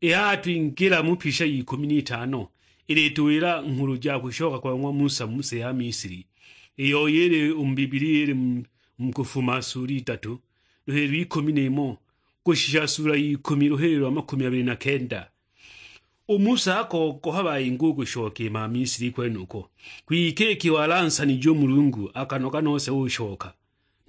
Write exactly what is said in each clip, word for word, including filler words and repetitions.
Ī haha twingīla mu pisha y'ikūmi n'itano, īlītūwīla nghulu ja kūshoka kwa ng'wa Musa mu sī ya Misili, īyo īlī ū mu Biblia īlī mu, mu Kūfuma sūla idatū, lūhīlīlo ikūmi n'īmò, kūshisha sūla y'ikūmi, lūhīlīlo lwa makūmi abīlī na kenda. Ū Musa akogoha bayīnga ū kūshoka ī ma Misili kwenūko, kwike iki walansanije ū Mulungu, akanoga nose ūshoka.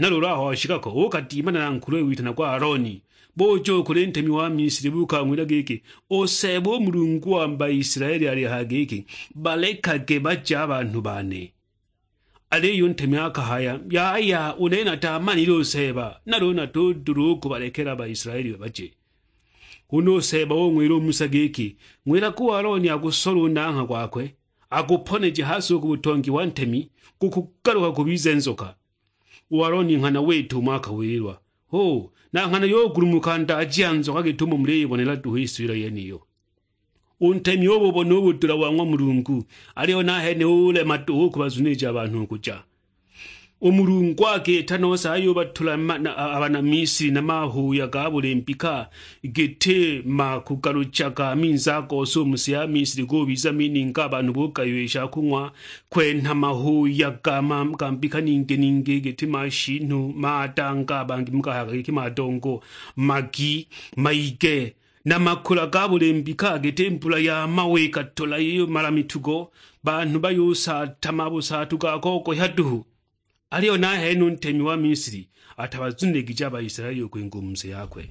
Na lūūlū aho washika ko, ūkadimana na nkuluwe witanagwa Alooni, būja ū kūlī ntemi wa Misili, būūkang'wila gīkī, "Ū Seeba ū Mulungu wa Baisilaeli alīhaya gīkī, 'Balekage baje a banhū bane.'" Alīyo ū ntemi akahaya, "Yaya, ū nene nataamanile ū Seeba, nalū natūdūla ū kūbalekela a Baisilaeli baje." Hūna ū Seeba ūng'wīla ū Musa gīkī, "Ng'wīlage ū Alooni agūsole ū nang'ha gwakwe, agūponeje ha si ū kū būtongi wa ntemi, gūkūgalūka gūbize nzoka." Ū Alooni nghana wita ūmo akawīlilwa, hū, na nghana yūgulumuka ndaaji ya nzoka gīt'ūmo mulīyibonela duhu ī sūla yenīyo. Ū ntemi ūbūbona ū būdūla wa ng'wa Mulungu, alīyo nahene ūlema duhu ū kūbazunīja a banhū kūja. Ū Mulungu akīīta nose ayūbatūla ma-, na, a, a bana Misili na mahūya ga būlī mbika, gītī makūgalūchaga a minzī a gose ū mu sī ya Misili, gūbiza mininga, a banhū būgayiwa ī sha kūng'wa, kwenha mahūya ga ma-, ga mbika ningī ningī, gītī mashinhu, madanga, a bangī mugahayaga gīkī madongo, magi, maige, na makūla ga būlī mbika, gītī mbula ya mawe īkatūla yūmala mitugo, banhū bayūsaatama būsaatu ga kogohya duhu. Alīyo nahene ū ntemi wa Misili atabazunīlīgije a Baisilaeli ū kwīnga ū mu sī yakwe.